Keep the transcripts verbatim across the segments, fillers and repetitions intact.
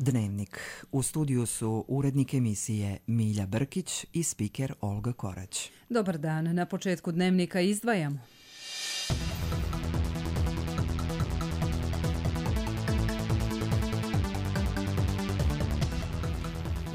Dnevnik. U studiju su urednik emisije Milja Brkić i spiker Olga Korać. Dobar dan. Na početku Dnevnika izdvajamo.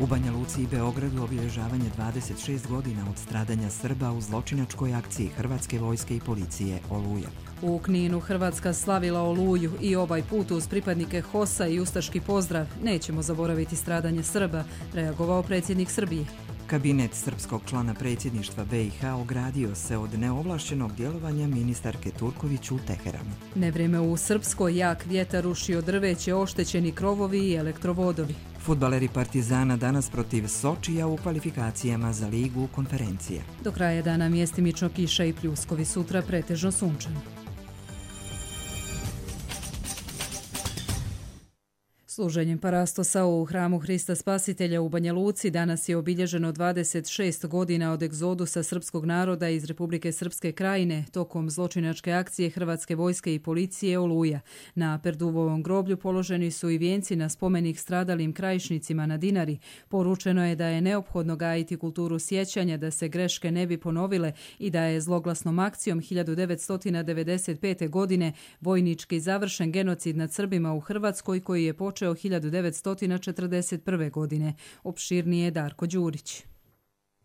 U Banja Luci i Beogradu obilježavanje dvadeset šest godina od stradanja Srba u zločinačkoj akciji Hrvatske vojske i policije Oluja. U Kninu Hrvatska slavila Oluju i ovaj put uz pripadnike HOS-a i ustaški pozdrav. Nećemo zaboraviti stradanje Srba, reagovao predsjednik Srbije. Kabinet srpskog člana predsjedništva B i H ogradio se od neovlašćenog djelovanja ministarke Turković u Teheranu. Nevrijeme u Srpskoj, jak vjetar rušio drveće, oštećeni krovovi i elektrovodovi. Fudbaleri Partizana danas protiv Sočija u kvalifikacijama za ligu konferencije. Do kraja dana mjestimično kiša i pljuskovi, sutra pretežno sunčano. Služenjem parastosa u hramu Hrista Spasitelja u Banja Luci danas je obilježeno dvadeset šest godina od egzodusa srpskog naroda iz Republike Srpske Krajine tokom zločinačke akcije Hrvatske vojske i policije Oluja. Na Perduvovom groblju položeni su i vijenci na spomenik stradalim krajišnicima na Dinari. Poručeno je da je neophodno gajiti kulturu sjećanja da se greške ne bi ponovile i da je zloglasnom akcijom hiljadu devetsto devedeset pete. godine vojnički završen genocid nad Srbima u Hrvatskoj koji je počeo hiljadu devetsto četrdeset prve. godine. Opširnije Darko Đurić.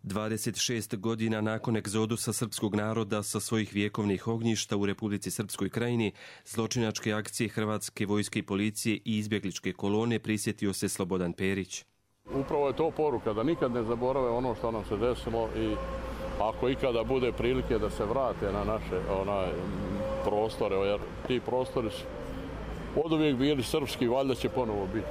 dvadeset šest godina nakon egzodusa srpskog naroda sa svojih vjekovnih ognjišta u Republici Srpskoj Krajini, zločinačke akcije Hrvatske vojske i policije i izbjegličke kolone prisjetio se Slobodan Perić. Upravo je to poruka da nikad ne zaborave ono što nam se desilo i ako ikada bude prilike da se vrate na naše onaj, prostore, jer ti prostori su oduvijek bili srpski, valjda će ponovo biti.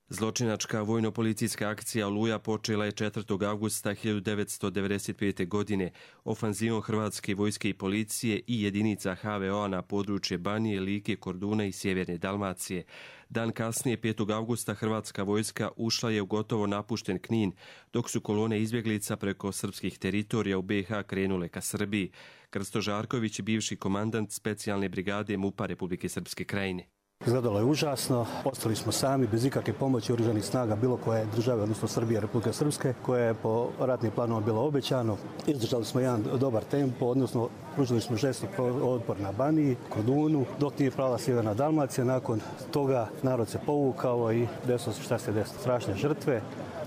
Zločinačka vojno-policijska akcija Oluja počela je četvrtog avgusta hiljadu devetsto devedeset pete. godine ofanzivom Hrvatske vojske i policije i jedinica H V O-a na područje Banije, Like, Korduna i sjeverne Dalmacije. Dan kasnije, petog avgusta, Hrvatska vojska ušla je u gotovo napušten Knin, dok su kolone izbjeglica preko srpskih teritorija u B i H krenule ka Srbiji. Krsto Žarković, bivši komandant specijalne brigade MUP-a Republike Srpske Krajine. Izgledalo je užasno, ostali smo sami bez ikakve pomoći oružanih snaga bilo koje države, odnosno Srbije, Republike Srpske, koje je po ratnim planovima bilo obećano. Izdržali smo jedan dobar tempo, odnosno pružili smo žestok otpor na Baniji, Kordunu, dok nije prala sjeverna Dalmacija. Nakon toga narod se povukao i desilo se šta se desilo. Strašne žrtve.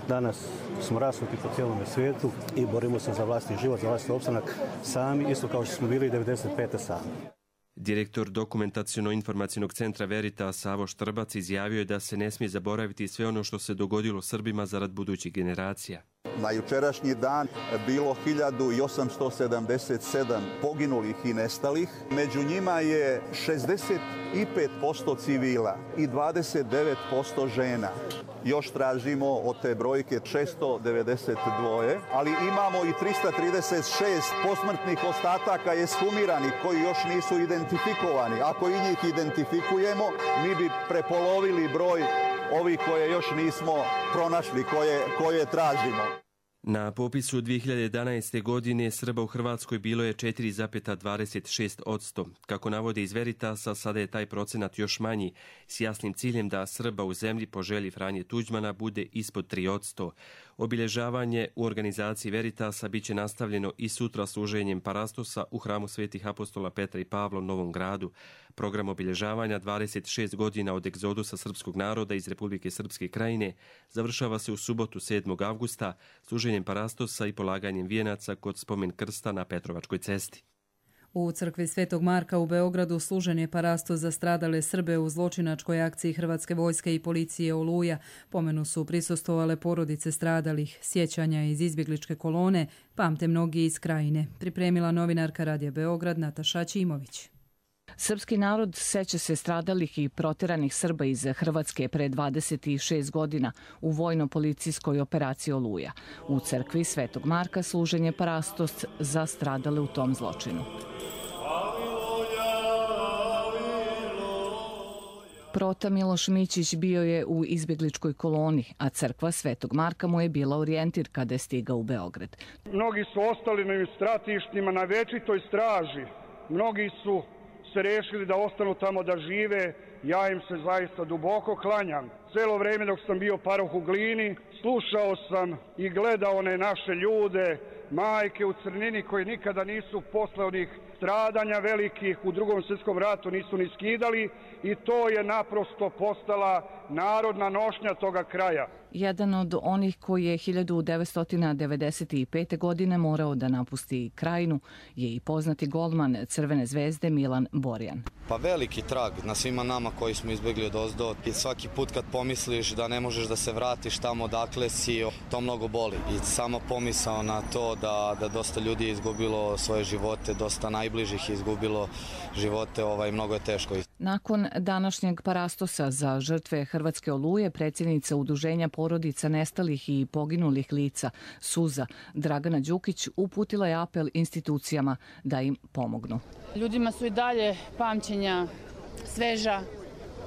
Danas smo rasuti po cijelom svijetu i borimo se za vlastni život, za vlastni opstanak sami, isto kao što smo bili devedeset pete. sami. Direktor dokumentaciono-informacijnog centra Veritas Savo Štrbac izjavio je da se ne smije zaboraviti sve ono što se dogodilo Srbima zarad budućih generacija. Na jučerašnji dan bilo hiljadu osamsto sedamdeset sedam poginulih i nestalih. Među njima je šezdeset pet posto civila i dvadeset devet posto žena. Još tražimo od te brojke šesto devedeset dva, ali imamo i trista trideset šest posmrtnih ostataka ekshumiranih koji još nisu identifikovani. Ako i njih identifikujemo, mi bi prepolovili broj ovih koje još nismo pronašli, koje, koje tražimo. Na popisu dvije hiljade jedanaeste. godine Srba u Hrvatskoj bilo je četiri zarez dvadeset šest posto. Kako navode iz Veritasa, sada je taj procenat još manji, s jasnim ciljem da Srba u zemlji po želji Franje Tuđmana bude ispod tri posto. Obilježavanje u organizaciji Veritasa bit će nastavljeno i sutra služenjem parastosa u hramu svetih apostola Petra i Pavla u Novom Gradu. Program obilježavanja dvadeset šest godina od egzodusa srpskog naroda iz Republike Srpske Krajine završava se u subotu sedmog avgusta služenjem parastosa i polaganjem vijenaca kod spomen krsta na Petrovačkoj cesti. U crkvi Svetog Marka u Beogradu služen je parastos za stradale Srbe u zločinačkoj akciji Hrvatske vojske i policije Oluja. Pomenu su prisustvovale porodice stradalih, sjećanja iz izbjegličke kolone, pamte mnogi iz Krajine. Pripremila novinarka Radija Beograd Nataša Ćimović. Srpski narod seća se stradalih i proteranih Srba iz Hrvatske pre dvadeset šest godina u vojno-policijskoj operaciji Oluja. U crkvi Svetog Marka služen je parastos za stradale u tom zločinu. Prota Miloš Mićić bio je u izbjegličkoj koloni, a crkva Svetog Marka mu je bila orijentir kada je stigao u Beograd. Mnogi su ostali na stratištima na večitoj straži. Mnogi su se rešili da ostanu tamo da žive. Ja im se zaista duboko klanjam. celo vreme dok sam bio paroh u Glini. Slušao sam i gledao one naše ljude, majke u crnini koji nikada nisu posle onih stradanja velikih u Drugom svjetskom ratu nisu ni skidali i to je naprosto postala narodna nošnja toga kraja. Jedan od onih koji je hiljadu devetsto devedeset pete. godine morao da napusti Krajinu je i poznati golman Crvene zvezde Milan Borjan. Pa veliki trag na svima nama koji smo izbjegli odozdo i svaki put kad pomisliš da ne možeš da se vratiš tamo odakle si, to mnogo boli. I sama pomisao na to da, da dosta ljudi je izgubilo svoje živote, dosta najbližih je izgubilo živote, ovaj, mnogo je teško. Nakon današnjeg parastosa za žrtve Hrvatske oluje, predsjednica Udruženja porodica nestalih i poginulih lica Suza Dragana Đukić uputila je apel institucijama da im pomognu. Ljudima su i dalje pamćenja sveža,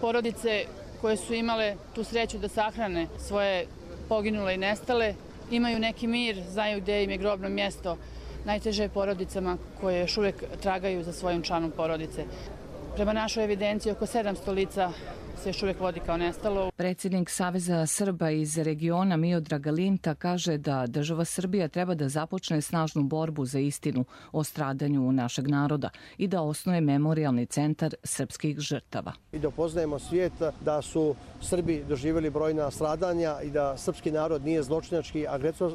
porodice koje su imale tu sreću da sahrane svoje poginule i nestale, imaju neki mir, znaju gdje im je grobno mjesto. Najteže je porodicama koje još uvijek tragaju za svojim članom porodice. Prema našoj evidenciji oko sedamsto lica se još uvijek vodi kao nestalo. Predsjednik Saveza Srba iz regiona Miodrag Linta kaže da država Srbija treba da započne snažnu borbu za istinu o stradanju našeg naroda i da osnuje memorijalni centar srpskih žrtava. I da upoznajemo svijet da su Srbi doživjeli brojna stradanja i da srpski narod nije zločinački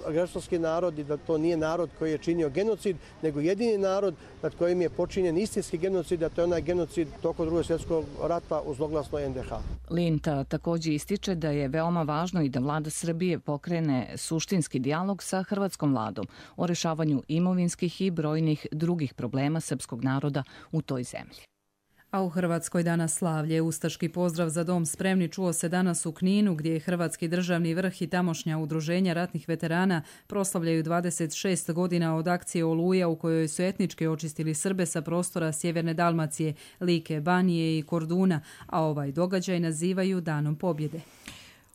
agresorski narod i da to nije narod koji je činio genocid, nego jedini narod nad kojim je počinjen istinski genocid, a to je onaj genocid tokom Drugog svjetskog rata u zloglasnoj en de ha. Linta također ističe da je veoma važno i da vlada Srbije pokrene suštinski dijalog sa hrvatskom vladom o rešavanju imovinskih i brojnih drugih problema srpskog naroda u toj zemlji. A u Hrvatskoj danas slavlje. Ustaški pozdrav za dom spremni čuo se danas u Kninu, gdje je Hrvatski državni vrh i tamošnja udruženja ratnih veterana proslavljaju dvadeset šest godina od akcije Oluja u kojoj su etnički očistili Srbe sa prostora sjeverne Dalmacije, Like, Banije i Korduna, a ovaj događaj nazivaju Danom pobjede.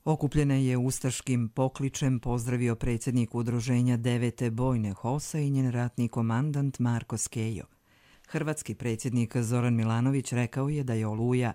Okupljene je ustaškim pokličem pozdravio predsjednik udruženja devete bojne HOS-a i njen ratni komandant Marko Skejo. Hrvatski predsjednik Zoran Milanović rekao je da je Oluja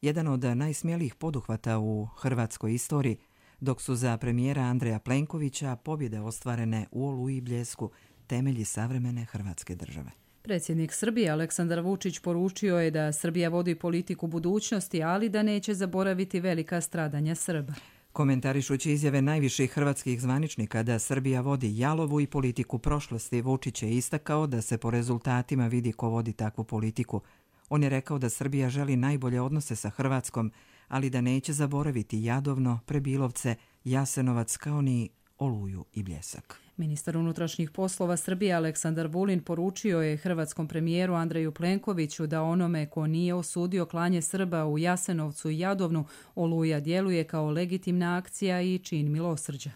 jedan od najsmjelijih poduhvata u hrvatskoj istoriji, dok su za premijera Andreja Plenkovića pobjede ostvarene u Oluji i Bljesku temelji savremene Hrvatske države. Predsjednik Srbije Aleksandar Vučić poručio je da Srbija vodi politiku budućnosti, ali da neće zaboraviti velika stradanja Srba. Komentarišući izjave najviših hrvatskih zvaničnika da Srbija vodi jalovu i politiku prošlosti, Vučić je istakao da se po rezultatima vidi ko vodi takvu politiku. On je rekao da Srbija želi najbolje odnose sa Hrvatskom, ali da neće zaboraviti Jadovno, Prebilovce, Jasenovac kao ni Oluju i Bljesak. Ministar unutrašnjih poslova Srbije Aleksandar Vulin poručio je hrvatskom premijeru Andreju Plenkoviću da onome ko nije osudio klanje Srba u Jasenovcu i Jadovnu, Oluja djeluje kao legitimna akcija i čin milosrđa.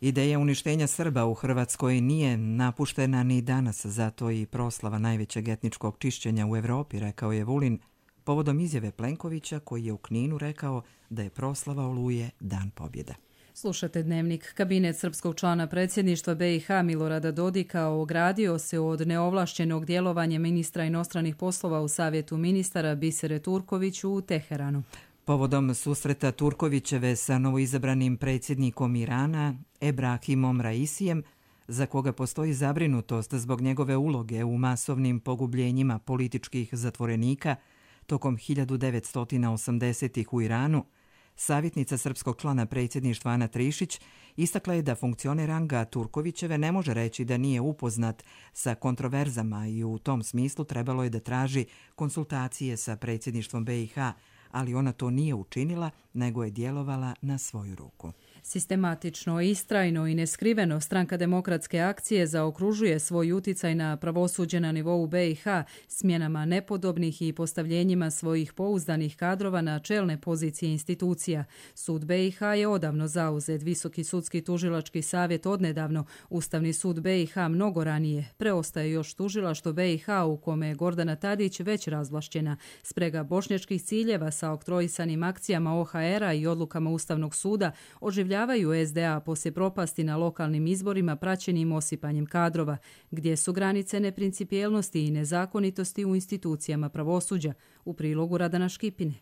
Ideja uništenja Srba u Hrvatskoj nije napuštena ni danas, zato i proslava najvećeg etničkog čišćenja u Evropi, rekao je Vulin, povodom izjave Plenkovića koji je u Kninu rekao da je proslava Oluje dan pobjede. Slušate Dnevnik. Kabinet srpskog člana predsjedništva be i ha Milorada Dodika ogradio se od neovlašćenog djelovanja ministra inostranih poslova u Savjetu ministara Bisere Turkoviću u Teheranu. Povodom susreta Turkovićeve sa novoizabranim predsjednikom Irana, Ebrahimom Raisijem, za koga postoji zabrinutost zbog njegove uloge u masovnim pogubljenjima političkih zatvorenika tokom hiljadu devetsto osamdesetih u Iranu, savjetnica srpskog člana predsjedništva Ana Trišić istakla je da funkcioner Anga Turkovićeve ne može reći da nije upoznat sa kontroverzama i u tom smislu trebalo je da traži konsultacije sa predsjedništvom be i ha, ali ona to nije učinila, nego je djelovala na svoju ruku. Sistematično, istrajno i neskriveno Stranka demokratske akcije zaokružuje svoj uticaj na pravosuđe na nivou be i ha smjenama nepodobnih i postavljenjima svojih pouzdanih kadrova na čelne pozicije institucija. Sud be i ha je odavno zauzet, Visoki sudski tužilački savjet odnedavno, Ustavni sud be i ha mnogo ranije. Preostaje još tužilaštvo be i ha u kome je Gordana Tadić već razvlašćena. Sprega bošnjačkih ciljeva sa oktrojisanim akcijama o ha era i odlukama Ustavnog suda oživljavaju es de a poslije propasti na lokalnim izborima praćenim osipanjem kadrova, gdje su granice neprincipijelnosti i nezakonitosti u institucijama pravosuđa, u prilogu Radana Škipine.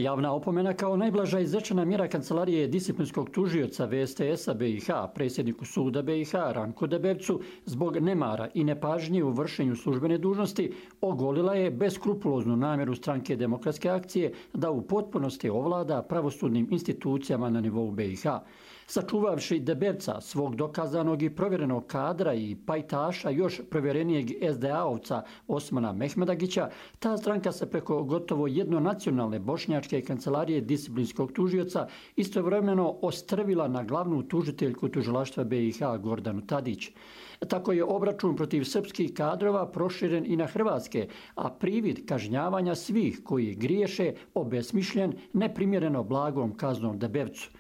Javna opomena kao najblaža izrečena mjera Kancelarije disciplinskog tužioca V S T S-a B i H predsjedniku suda B i H Ranku Debevcu zbog nemara i nepažnje u vršenju službene dužnosti ogolila je beskrupuloznu namjeru stranke Demokratske akcije da u potpunosti ovlada pravosudnim institucijama na nivou B i H. Sačuvavši Debevca, svog dokazanog i provjerenog kadra i pajtaša još provjerenijeg S D A-ovca Osmana Mehmedagića, ta stranka se preko gotovo jednonacionalne bošnjačke kancelarije disciplinskog tužioca istovremeno ostrvila na glavnu tužiteljku tužilaštva B i H Gordanu Tadić. Tako je obračun protiv srpskih kadrova proširen i na hrvatske, a privid kažnjavanja svih koji griješe obesmišljen neprimjereno blagom kaznom Debevcu.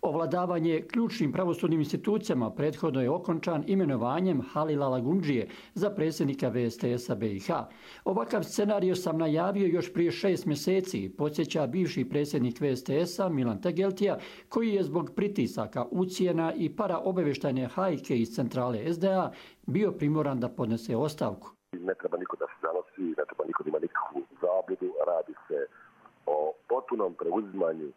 Ovladavanje ključnim pravosudnim institucijama prethodno je okončan imenovanjem Halila Lagundžije za predsjednika V S T S-a B i H. Ovakav scenario sam najavio još prije šest mjeseci, podsjeća bivši predsjednik V S T S-a Milan Tegeltija, koji je zbog pritisaka, ucjena i paraobavještajne hajke iz centrale S D A bio primoran da podnese ostavku. Ne treba niko da se zanosi, ne treba niko da ima nikakvu zabludu, radi se o potpunom preuzimanju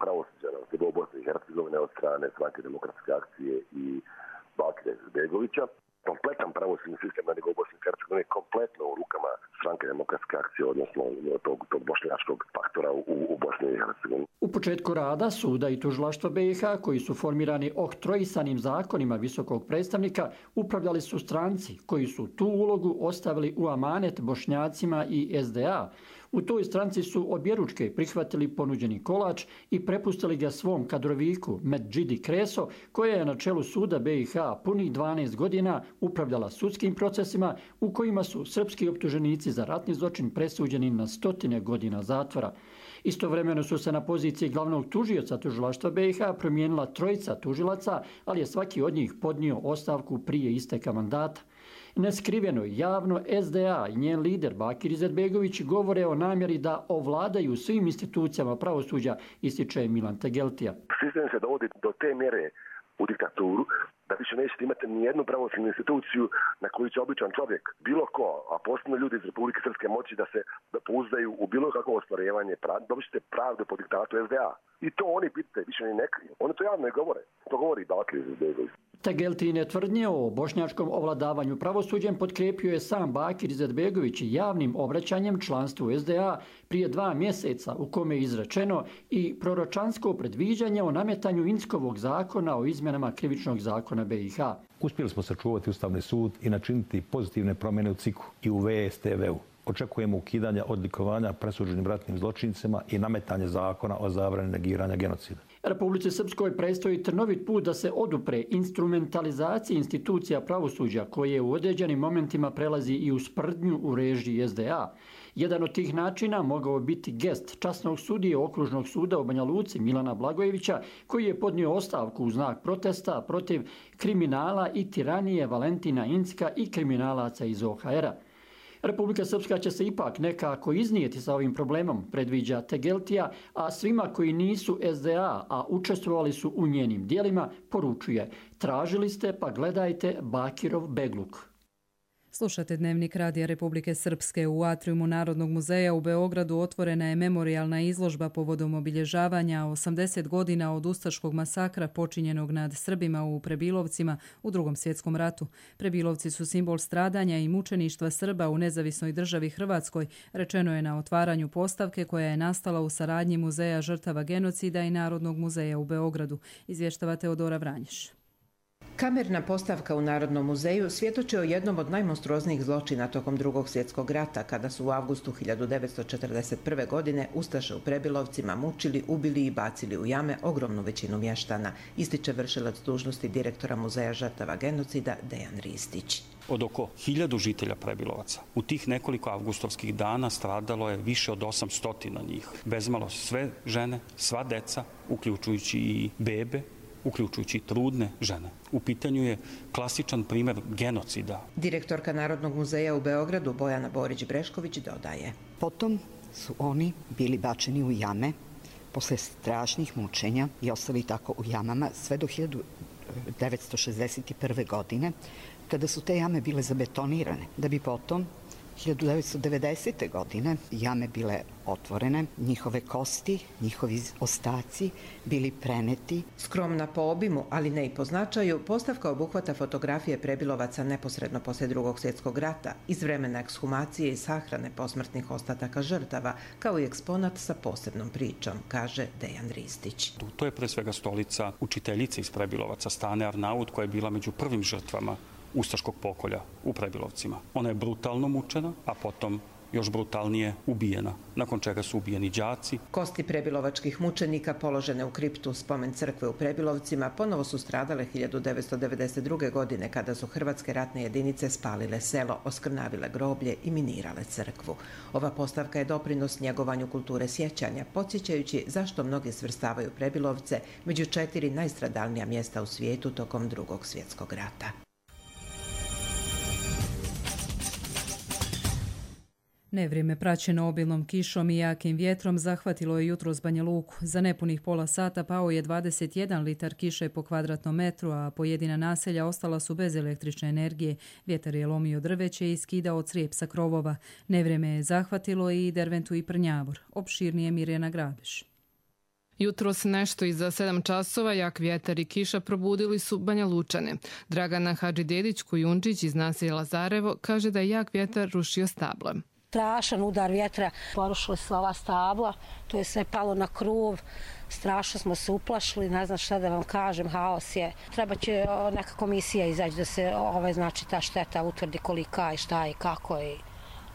pravosuđa na nivou Bosne i Hercegovine od strane stranke Demokratske akcije i Bakira Izetbegovića. Kompletan pravosudni sistem na nivou Bosne i Hercegovine je kompletno u rukama stranke Demokratske akcije, odnosno tog, tog bošnjačkog faktora u, u Bosni i Hercegovini. U početku rada suda i tužilaštva B i H, koji su formirani oktroisanim zakonima visokog predstavnika, upravljali su stranci koji su tu ulogu ostavili u amanet Bošnjacima i S D A. U toj stranci su objeručke prihvatili ponuđeni kolač i prepustili ga svom kadroviku Medžidi Kreso, koja je na čelu suda B i H punih dvanaest godina upravljala sudskim procesima u kojima su srpski optuženici za ratni zločin presuđeni na stotine godina zatvora. Istovremeno su se na poziciji glavnog tužioca tužilaštva B i H promijenila trojica tužilaca, ali je svaki od njih podnio ostavku prije isteka mandata. Neskriveno i javno S D A i njen lider Bakir Izetbegović govore o namjeri da ovladaju svim institucijama pravosuđa, ističe Milan Tegeltija. Sistem se dovodi do te mjere u diktaturu da više nećete imati nijednu pravosudnu instituciju na koju će običan čovjek, bilo ko, a posebno ljudi iz Republike Srpske moći da se da pouzdaju u bilo kakvo ostvarivanje pravde, dobit ćete pravdu po diktatu S D A. I to oni pitate, više ni ne kriju. Oni to javno i govore. To govori Bakir Izetbegović. Tegeltine tvrdnje o bošnjačkom ovladavanju pravosuđem potkrijepio je sam Bakir Izetbegović javnim obraćanjem članstvu S D A prije dva mjeseca, u kome je izrečeno i proročansko predviđanje o nametanju Inskovog zakona o izmjenama krivičnog zakona B i H. Uspjeli smo sačuvati Ustavni sud i načiniti pozitivne promjene u C I K-u i u V S T V-u. Očekujemo ukidanje odlikovanja presuđenim ratnim zločincima i nametanje zakona o zabrani negiranja genocida. Republici Srpskoj predstoji trnovit put da se odupre instrumentalizaciji institucija pravosuđa koje u određenim momentima prelazi i u sprdnju u režiji S D A. Jedan od tih načina mogao biti gest časnog sudije Okružnog suda u Banja Luci Milana Blagojevića, koji je podnio ostavku u znak protesta protiv kriminala i tiranije Valentina Incka i kriminalaca iz O H R-a. Republika Srpska će se ipak nekako iznijeti sa ovim problemom, predviđa Tegeltija, a svima koji nisu S D A, a učestvovali su u njenim dijelima, poručuje: tražili ste pa gledajte Bakirov begluk. Slušate Dnevnik Radija Republike Srpske. U atriumu Narodnog muzeja u Beogradu otvorena je memorijalna izložba povodom obilježavanja osamdeset godina od ustaškog masakra počinjenog nad Srbima u Prebilovcima u Drugom svjetskom ratu. Prebilovci su simbol stradanja i mučeništva Srba u nezavisnoj državi Hrvatskoj, rečeno je na otvaranju postavke koja je nastala u saradnji Muzeja žrtava genocida i Narodnog muzeja u Beogradu, izvještava Teodora Vranješ. Kamerna postavka u Narodnom muzeju svjedoči o jednom od najmonstruoznijih zločina tokom Drugog svjetskog rata, kada su u avgustu hiljadu devetsto četrdeset prve. godine ustaše u Prebilovcima mučili, ubili i bacili u jame ogromnu većinu mještana, ističe vršilac dužnosti direktora Muzeja žrtava genocida Dejan Ristić. Od oko hiljadu žitelja Prebilovaca u tih nekoliko avgustovskih dana stradalo je više od osamsto njih. Bezmalo sve žene, sva deca, uključujući i bebe, uključujući trudne žene. U pitanju je klasičan primjer genocida. Direktorka Narodnog muzeja u Beogradu Bojana Borić-Brešković dodaje: Potom su oni bili bačeni u jame posle strašnih mučenja i ostali tako u jamama sve do hiljadu devetsto šezdeset prve. godine, kada su te jame bile zabetonirane, da bi potom hiljadu devetsto devedesete. godine jame bile otvorene, njihove kosti, njihovi ostaci bili preneti. Skromna po obimu, ali ne i po značaju, postavka obuhvata fotografije prebilovaca neposredno posle Drugog svjetskog rata, iz vremena ekshumacije i sahrane posmrtnih ostataka žrtava, kao i eksponat sa posebnom pričom, kaže Dejan Ristić. To je pre svega stolica učiteljice iz Prebilovaca, Stane Arnaut, koja je bila među prvim žrtvama ustaškog pokolja u Prebilovcima. Ona je brutalno mučena, a potom još brutalnije ubijena, nakon čega su ubijeni đaci. Kosti prebilovačkih mučenika položene u kriptu spomen crkve u Prebilovcima ponovo su stradale hiljadu devetsto devedeset druge. godine kada su hrvatske ratne jedinice spalile selo, oskrnavile groblje i minirale crkvu. Ova postavka je doprinos njegovanju kulture sjećanja, podsjećajući zašto mnogi svrstavaju Prebilovce među četiri najstradalnija mjesta u svijetu tokom Drugog svjetskog rata. Nevrijeme praćeno obilnom kišom i jakim vjetrom zahvatilo je jutros Banja Luku. Za nepunih pola sata pao je dvadeset jedan litar kiše po kvadratnom metru, a pojedina naselja ostala su bez električne energije. Vjetar je lomio drveće i skidao crijep sa krovova. Nevrijeme je zahvatilo i Derventu i Prnjavor. Opširnije Mirjana Grabiš. Jutros nešto iza sedam časova jak vjetar i kiša probudili su Banja Lučane. Dragana Hadžidedić-Kujundžić iz naselja Lazarevo kaže da je jak vjetar rušio stabla. Strašan udar vjetra, porušili su ova stabla, to je sve palo na krov, strašno smo se uplašili, ne znam šta da vam kažem, haos je. Treba će neka komisija izaći da se ovaj, znači, ta šteta utvrdi kolika i šta i kako i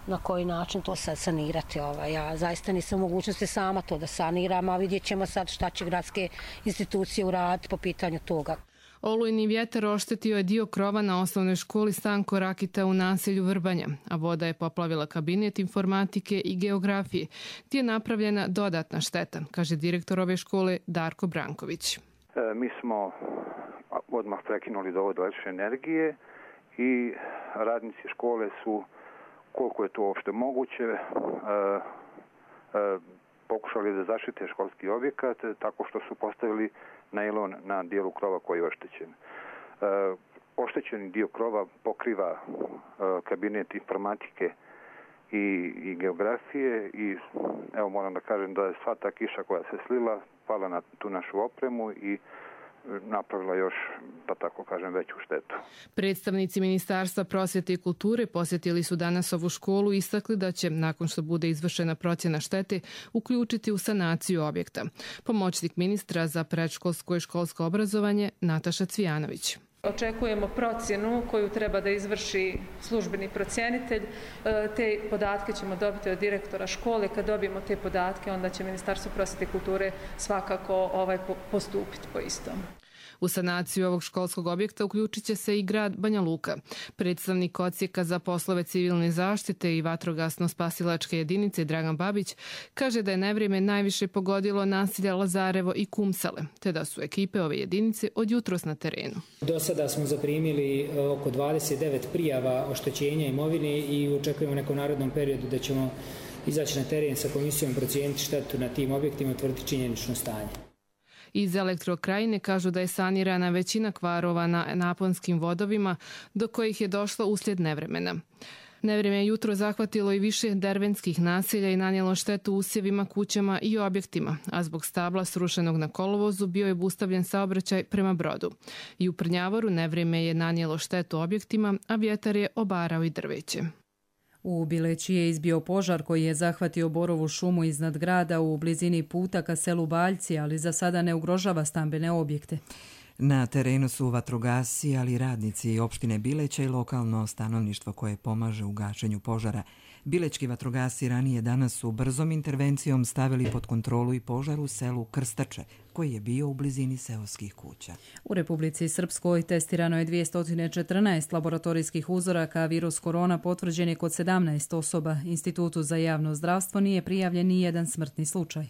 na koji način to sad sanirati. Ovaj. Ja zaista nisam u mogućnosti sama to da saniram, a vidjet ćemo sad šta će gradske institucije uraditi po pitanju toga. Olujni vjetar oštetio je dio krova na osnovnoj školi Stanko Rakita u naselju Vrbanja, a voda je poplavila kabinet informatike i geografije, gdje je napravljena dodatna šteta, kaže direktor ove škole Darko Branković. E, mi smo odmah prekinuli dovod električne energije i radnici škole su, koliko je to uopšte moguće, e, e, pokušali da zaštite školski objekat tako što su postavili najlon na dijelu krova koji je oštećen. E, oštećeni dio krova pokriva e, kabinet informatike i, i geografije i evo moram da kažem da je sva ta kiša koja se slila pala na tu našu opremu i napravila još, da tako kažem, veću štetu. Predstavnici Ministarstva prosvjete i kulture posjetili su danas ovu školu i istakli da će, nakon što bude izvršena procjena štete, uključiti u sanaciju objekta. Pomoćnik ministra za predškolsko i školsko obrazovanje Nataša Cvijanović. Očekujemo procjenu koju treba da izvrši službeni procjenitelj. Te podatke ćemo dobiti od direktora škole. Kad dobijemo te podatke, onda će Ministarstvo prosvjete i kulture svakako ovaj postupiti po istom. U sanaciju ovog školskog objekta uključit će se i grad Banja Luka. Predstavnik odsjeka za poslove civilne zaštite i vatrogasno-spasilačke jedinice Dragan Babić kaže da je nevrijeme najviše pogodilo naselja Lazarevo i Kumsale, te da su ekipe ove jedinice od jutros na terenu. Do sada smo zaprimili oko dvadeset devet prijava oštećenja imovine i očekujemo u nekom narodnom periodu da ćemo izaći na teren sa komisijom, procijeniti štetu na tim objektima i utvrditi činjenično stanje. Iz Elektrokrajine kažu da je sanirana većina kvarova na naponskim vodovima do kojih je došlo uslijed nevremena. Nevrijeme je jutro zahvatilo i više dervenskih naselja i nanijelo štetu usjevima, kućama i objektima, a zbog stabla srušenog na kolovozu bio je obustavljen saobraćaj prema Brodu. I u Prnjavoru nevrijeme je nanijelo štetu objektima, a vjetar je obarao i drveće. U Bileći je izbio požar koji je zahvatio borovu šumu iznad grada u blizini puta ka selu Baljci, ali za sada ne ugrožava stambene objekte. Na terenu su vatrogasci, ali i radnici opštine Bileća i lokalno stanovništvo koje pomaže u gašenju požara. Bilečki vatrogasci ranije danas su brzom intervencijom stavili pod kontrolu i požar u selu Krstače, koji je bio u blizini seoskih kuća. U Republici Srpskoj testirano je dvjesto četrnaest laboratorijskih uzoraka, a virus korona potvrđen je kod sedamnaest osoba. Institutu za javno zdravstvo nije prijavljen ni jedan smrtni slučaj.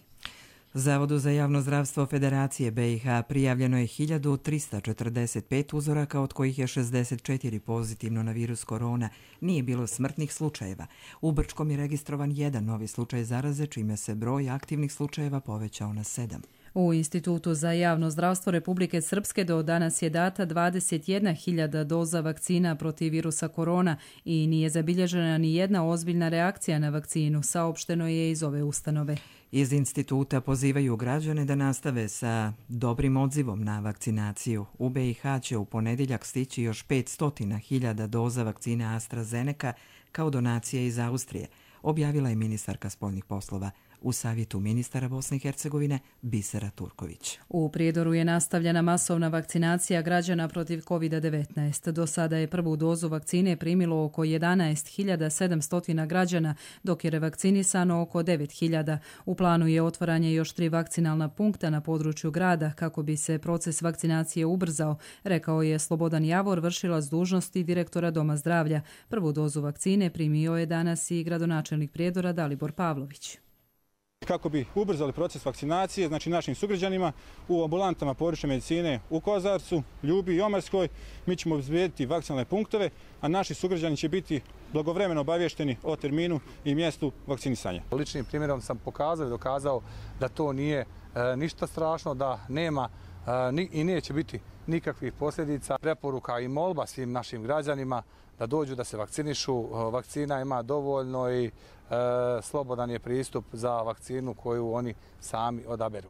Zavodu za javno zdravstvo Federacije B i H prijavljeno je hiljadu trista četrdeset pet uzoraka, od kojih je šezdeset četiri pozitivno na virus korona. Nije bilo smrtnih slučajeva. U Brčkom je registrovan jedan novi slučaj zaraze, čime se broj aktivnih slučajeva povećao na sedam. U Institutu za javno zdravstvo Republike Srpske do danas je data dvadeset jedna hiljada doza vakcina protiv virusa korona i nije zabilježena ni jedna ozbiljna reakcija na vakcinu, saopšteno je iz ove ustanove. Iz instituta pozivaju građane da nastave sa dobrim odzivom na vakcinaciju. U B i H će u ponedjeljak stići još petsto hiljada doza vakcine AstraZeneca kao donacije iz Austrije, objavila je ministarka spoljnih poslova u savjetu ministara Bosne i Hercegovine Bisera Turković. U Prijedoru je nastavljena masovna vakcinacija građana protiv kovid devetnaest. Do sada je prvu dozu vakcine primilo oko jedanaest hiljada sedamsto građana, dok je revakcinisano oko devet hiljada. U planu je otvaranje još tri vakcinalna punkta na području grada kako bi se proces vakcinacije ubrzao, rekao je Slobodan Javor, vršilac dužnosti direktora Doma zdravlja. Prvu dozu vakcine primio je danas i gradonačelnik Prijedora Dalibor Pavlović. Kako bi ubrzali proces vakcinacije, znači našim sugrađanima u ambulantama područne medicine u Kozarcu, Ljubi i Omarskoj, mi ćemo obezbediti vakcinalne punktove, a naši sugrađani će biti blagovremeno obavješteni o terminu i mjestu vakcinisanja. Ličnim primjerom sam pokazao i dokazao da to nije e, ništa strašno, da nema e, ni, i neće biti nikakvih posljedica. Preporuka i molba svim našim građanima da dođu da se vakcinišu. Vakcina ima dovoljno i e, slobodan je pristup za vakcinu koju oni sami odaberu.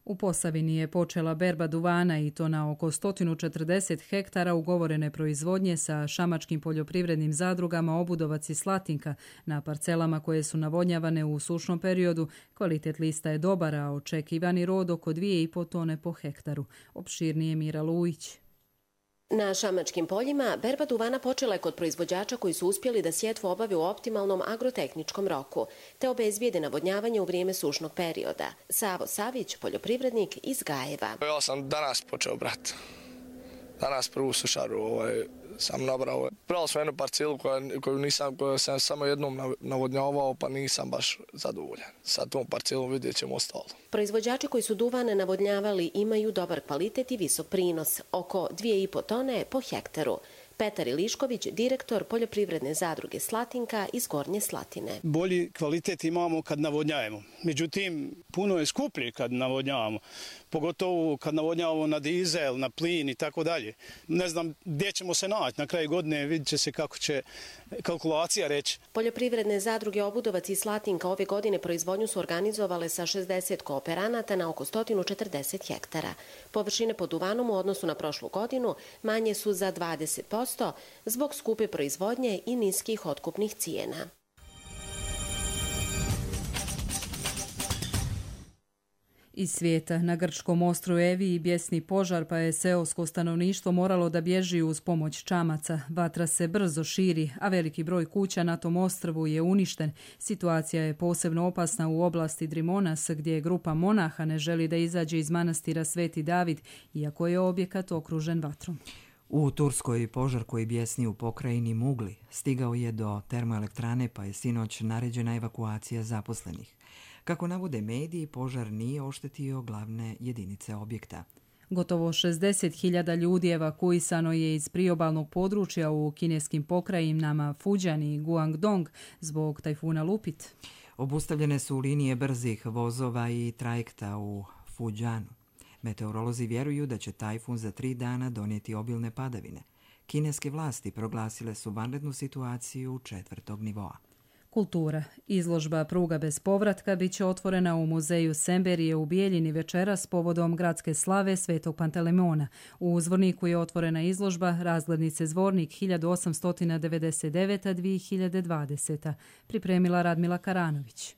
U Posavini je počela berba duvana i to na oko sto četrdeset hektara ugovorene proizvodnje sa šamačkim poljoprivrednim zadrugama Obudovac i Slatinka na parcelama koje su navodnjavane u sušnom periodu. Kvalitet lista je dobar, a očekivani rod oko dvije i po tone po hektaru. Opširnije Mira Lujić. Na šamačkim poljima berba duvana počela je kod proizvođača koji su uspjeli da sjetvu obave u optimalnom agrotehničkom roku, te obezbijede navodnjavanje u vrijeme sušnog perioda. Savo Savić, poljoprivrednik iz Gajeva. Ja sam danas počeo brati. Danas prvu sušaru ovaj, sam nabrao. Pravo sam jednu parcelu koju, koju, nisam, koju sam samo jednom navodnjavao, pa nisam baš zadovoljan. Sa tom parcelom vidjet ćemo ostalo. Proizvođači koji su duvane navodnjavali imaju dobar kvalitet i visok prinos, oko dvije i po tone po hektaru. Petar Ilišković, direktor poljoprivredne zadruge Slatinka iz Gornje Slatine. Bolji kvalitet imamo kad navodnjavamo. Međutim, puno je skuplje kad navodnjavamo. Pogotovo kad navodnjavamo na dizel, na plin i tako dalje. Ne znam gdje ćemo se naći. Na kraju godine vidjet će se kako će kalkulacija reći. Poljoprivredne zadruge Obudovac i Slatinka ove godine proizvodnju su organizovale sa šezdeset kooperanata na oko sto četrdeset hektara. Površine pod duvanom u odnosu na prošlu godinu manje su za dvadeset posto zbog skupe proizvodnje i niskih otkupnih cijena. Iz svijeta, na grčkom ostrvu Eviji bjesni požar, pa je seosko stanovništvo moralo da bježi uz pomoć čamaca. Vatra se brzo širi, a veliki broj kuća na tom ostrvu je uništen. Situacija je posebno opasna u oblasti Drimonas, gdje grupa monaha ne želi da izađe iz manastira Sveti David, iako je objekat okružen vatrom. U Turskoj požar koji bjesni u pokrajini Mugli stigao je do termoelektrane, pa je sinoć naređena evakuacija zaposlenih. Kako navode mediji, požar nije oštetio glavne jedinice objekta. Gotovo šezdeset hiljada ljudi evakuisano je iz priobalnog područja u kineskim pokrajinama Fujian i Guangdong zbog tajfuna Lupit. Obustavljene su linije brzih vozova i trajekta u Fujianu. Meteorolozi vjeruju da će tajfun za tri dana donijeti obilne padavine. Kineske vlasti proglasile su vanrednu situaciju četvrtog nivoa. Kultura. Izložba Pruga bez povratka bit će otvorena u muzeju Semberije u Bijeljini večeras povodom gradske slave Svetog Pantelemona. U Zvorniku je otvorena izložba Razglednice Zvornik hiljadu osamsto devedeset devete do dvije hiljade dvadesete. Pripremila Radmila Karanović.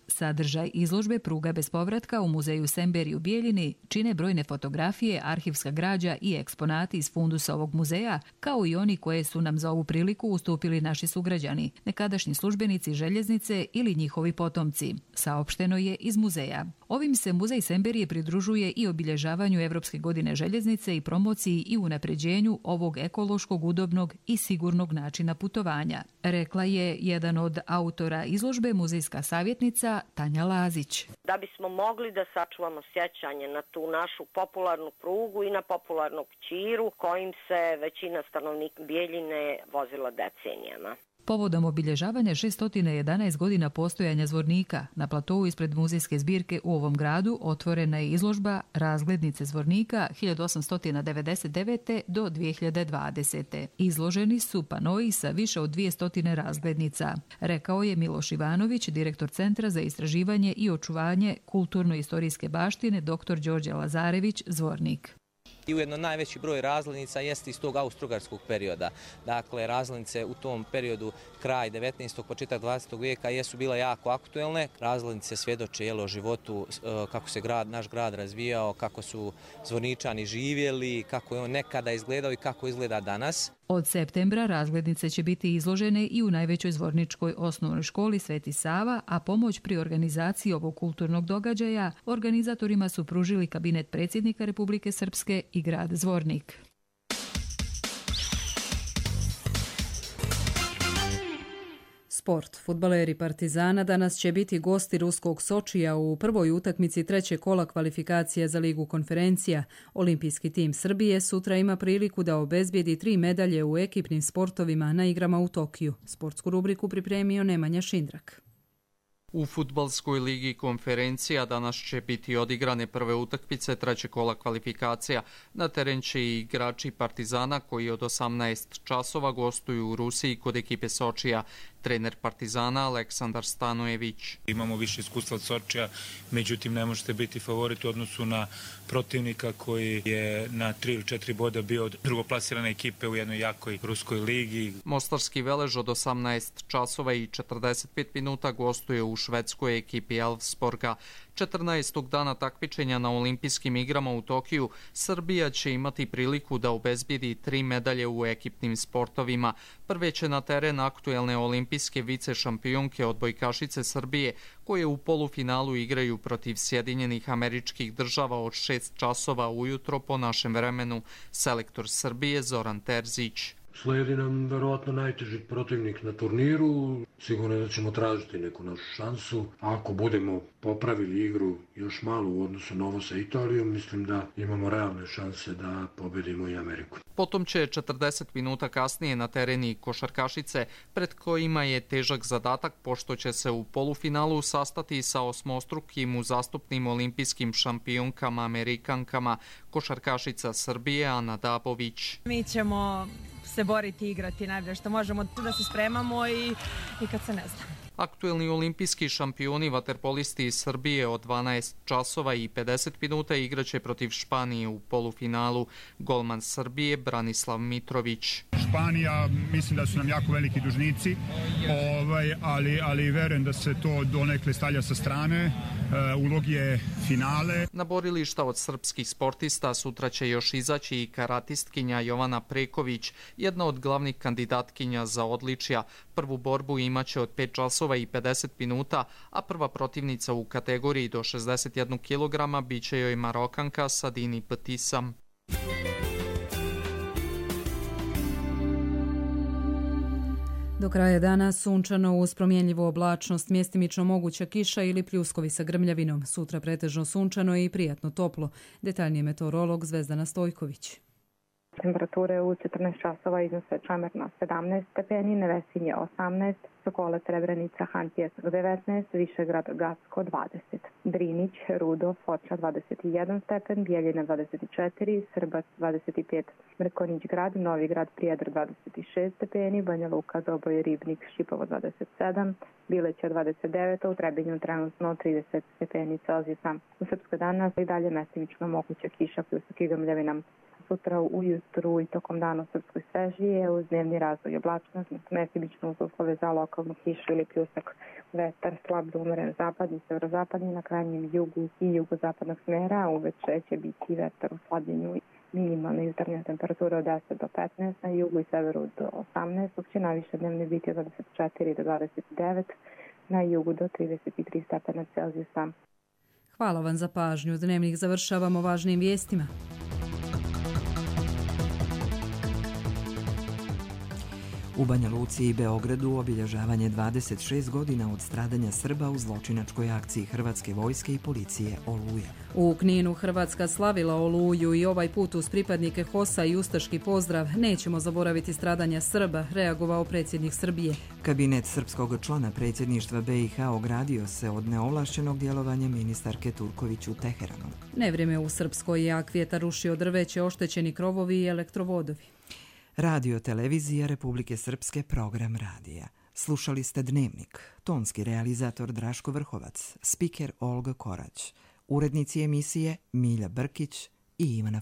Sadržaj izložbe Pruga bez povratka u muzeju Semberi u Bijeljini čine brojne fotografije, arhivska građa i eksponati iz fundusa ovog muzeja, kao i oni koje su nam za ovu priliku ustupili naši sugrađani, nekadašnji službenici željeznice ili njihovi potomci, saopšteno je iz muzeja. Ovim se muzej Semberije pridružuje i obilježavanju Evropske godine željeznice i promociji i unapređenju ovog ekološkog, udobnog i sigurnog načina putovanja, rekla je jedan od autora izložbe, muzejska savjetnica Tanja Lazić. Da bismo mogli da sačuvamo sjećanje na tu našu popularnu prugu i na popularnog Ćiru kojim se većina stanovnika Bijeljine vozila decenijama. Povodom obilježavanja šesto jedanaest godina postojanja Zvornika, na platovu ispred muzejske zbirke u ovom gradu otvorena je izložba Razglednice Zvornika hiljadu osamsto devedeset devete. do dvije hiljade dvadesete. Izloženi su panoi sa više od dvjesto razglednica, rekao je Miloš Ivanović, direktor Centra za istraživanje i očuvanje kulturno-istorijske baštine dr. Đorđe Lazarević Zvornik. I ujedno najveći broj razglednica jeste iz tog austrougarskog perioda. Dakle, razglednice u tom periodu kraj devetnaestog. početak dvadesetog vijeka jesu bila jako aktuelne. Razglednice svjedoče o životu, kako se grad, naš grad razvijao, kako su Zvorničani živjeli, kako je on nekada izgledao i kako izgleda danas. Od septembra razglednice će biti izložene i u najvećoj zvorničkoj osnovnoj školi Sveti Sava, a pomoć pri organizaciji ovog kulturnog događaja organizatorima su pružili kabinet predsjednika Republike Srpske i grad Zvornik. Sport. Fudbaleri Partizana danas će biti gosti ruskog Sočija u prvoj utakmici trećeg kola kvalifikacija za Ligu konferencija. Olimpijski tim Srbije sutra ima priliku da obezbijedi tri medalje u ekipnim sportovima na igrama u Tokiju. Sportsku rubriku pripremio Nemanja Šindrak. U fudbalskoj ligi konferencija danas će biti odigrane prve utakmice trećeg kola kvalifikacija. Na teren će i igrači Partizana koji od osamnaest časova gostuju u Rusiji kod ekipe Sočija. Trener Partizana Aleksandar Stanojević. Imamo više iskustva od Sočija, međutim ne možete biti favorit u odnosu na protivnika koji je na tri ili četiri boda bio od drugoplasirane ekipe u jednoj jakoj ruskoj ligi. Mostarski Velež od osamnaest časova i četrdeset pet minuta gostuje u švedskoj ekipi Elfsborga. četrnaestog dana takmičenja na olimpijskim igrama u Tokiju Srbija će imati priliku da obezbijedi tri medalje u ekipnim sportovima. Prve će na teren aktuelne olimpijske vice šampionke odbojkašice Srbije, koje u polufinalu igraju protiv Sjedinjenih Američkih Država od šest časova ujutro po našem vremenu. Selektor Srbije Zoran Terzić. Slijedi nam verovatno najteži protivnik na turniru. Sigurno da ćemo tražiti neku našu šansu. Ako budemo popravili igru još malo u odnosu na ovo sa Italijom, mislim da imamo realne šanse da pobedimo i Ameriku. Potom će četrdeset minuta kasnije na tereni košarkašice, pred kojima je težak zadatak pošto će se u polufinalu sastati sa osmostrukim uzastopnim olimpijskim šampionkama Amerikankama, košarkašica Srbije Ana Dabović. Mi ćemo se boriti i igrati najbolje što možemo, da se spremamo i, i kad se ne zna. Aktuelni olimpijski šampioni vaterpolisti iz Srbije od dvanaest časova i pedeset minuta igraće protiv Španije u polufinalu. Golman Srbije Branislav Mitrović. Španija, mislim da su nam jako veliki dužnici, ovaj, ali, ali verujem da se to donekle stavlja sa strane. Uh, ulog je finale. Na borilišta od srpskih sportista sutra će još izaći i karatistkinja Jovana Preković, jedna od glavnih kandidatkinja za odličja. Prvu borbu imaće od pet časova i pedeset minuta, a prva protivnica u kategoriji do šezdeset jedan kilograma biće joj Marokanka Sadini Patisam. Do kraja dana sunčano uz promjenljivu oblačnost, mjestimično moguća kiša ili pljuskovi sa grmljavinom. Sutra pretežno sunčano i prijatno toplo. Detaljnije meteorolog Zvezdana Stojković. Temperature u četrnaest časova iznose Čamerna sedamnaest stepeni, Nevesinje osamnaest, Sokole, Srebrenica, Hantijevsk devetnaest, Višegrad, Gacko dvadeset, Drinić, Rudo, Foča dvadeset jedan stepen, Bijeljina dvadeset četiri, Srbac dvadeset pet, Mrkonić grad, Novi grad, Prijedor dvadeset šest stepeni, Banja Luka, Doboj, Ribnik, Šipovo dvadeset sedam, Bileća dvadeset devet, u Trebinju trenutno trideset stepeni Celzijusa. U Srpskoj danas i dalje mestimično moguća kiša pljusak i grmljavina. Sutra ujutru i tokom dana u Srpskoj svežije uz dnevni razvoj oblačnost, mestimično uz uslove za lokalnu kišu ili pljusak. Vetar slab do umeren zapadni, severozapadni na krajnjem jugu i jugozapadnog smjera, a uveče će biti vetar u slabljenju. Minimalna jutarnja temperatura od deset do petnaest, na jugu i severu do osamnaest, dok će najviše dnevne biti od dvadeset četiri do dvadeset devet, na jugu do trideset tri stepena Celzijusa. Hvala vam za pažnju. Dnevnik završavamo važnim vijestima. U Banja Luci i Beogradu obilježavanje dvadeset šest godina od stradanja Srba u zločinačkoj akciji Hrvatske vojske i policije Oluja. U Kninu Hrvatska slavila Oluju i ovaj put uz pripadnike HOS-a i ustaški pozdrav "Nećemo zaboraviti stradanja Srba", reagovao predsjednik Srbije. Kabinet srpskog člana predsjedništva B i H ogradio se od neovlašćenog djelovanja ministarke Turković u Teheranu. Nevrijeme u Srpskoj, jak vjetar rušio drveće, oštećeni krovovi i elektrovodovi. Radio televizija Republike Srpske, program radija. Slušali ste Dnevnik. Tonski realizator Draško Vrhovac, spiker Olga Korać, urednici emisije Milja Brkić i Ivana